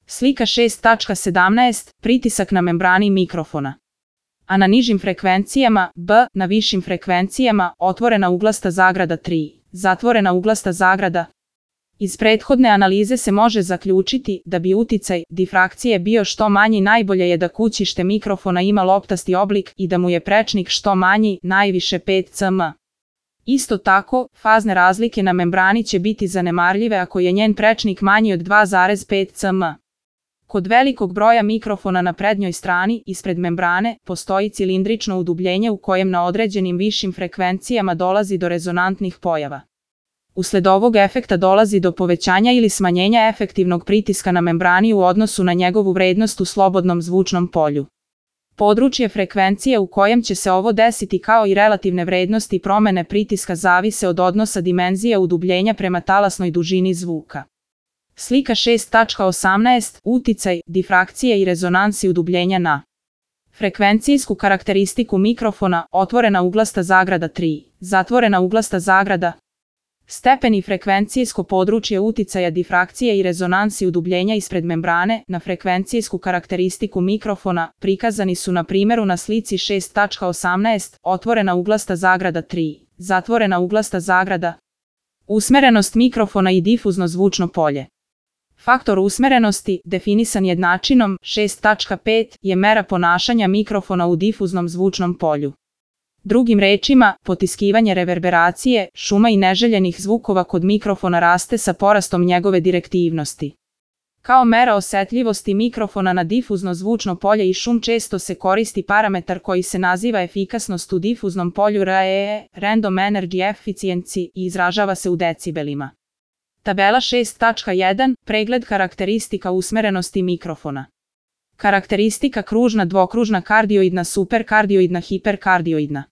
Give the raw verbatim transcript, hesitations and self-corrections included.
Slika šest tačka sedamnaest. Pritisak na membrani mikrofona. A na nižim frekvencijama, B, na višim frekvencijama, otvorena uglasta zagrada tri, zatvorena uglasta zagrada. Iz prethodne analize se može zaključiti da bi uticaj difrakcije bio što manji, najbolje je da kućište mikrofona ima loptasti oblik i da mu je prečnik što manji, najviše pet centimetara. Isto tako, fazne razlike na membrani će biti zanemarljive ako je njen prečnik manji od dva zarez pet centimetara. Kod velikog broja mikrofona na prednjoj strani, ispred membrane, postoji cilindrično udubljenje u kojem na određenim višim frekvencijama dolazi do rezonantnih pojava. Usled ovog efekta dolazi do povećanja ili smanjenja efektivnog pritiska na membrani u odnosu na njegovu vrednost u slobodnom zvučnom polju. Područje frekvencije u kojem će se ovo desiti kao i relativne vrednosti promene pritiska zavise od odnosa dimenzije udubljenja prema talasnoj dužini zvuka. Slika šest tačka osamnaest. Uticaj difrakcije i rezonansi udubljenja na frekvencijsku karakteristiku mikrofona, otvorena uglasta zagrada tri, zatvorena uglasta zagrada. Stepeni frekvencijsko područje uticaja difrakcije i rezonansi udubljenja ispred membrane na frekvencijsku karakteristiku mikrofona prikazani su na primjeru na slici šest tačka osamnaest, otvorena uglasta zagrada tri, zatvorena uglasta zagrada. Usmerenost mikrofona i difuzno zvučno polje. Faktor usmerenosti, definisan jednačinom šest tačka pet, je mera ponašanja mikrofona u difuznom zvučnom polju. Drugim rečima, potiskivanje reverberacije, šuma i neželjenih zvukova kod mikrofona raste sa porastom njegove direktivnosti. Kao mera osetljivosti mikrofona na difuzno zvučno polje i šum često se koristi parametar koji se naziva efikasnost u difuznom polju R E E, Random Energy Efficiency, i izražava se u decibelima. Tabela šest tačka jedan. Pregled karakteristika usmerenosti mikrofona. Karakteristika kružna, dvokružna, kardioidna, superkardioidna, hiperkardioidna.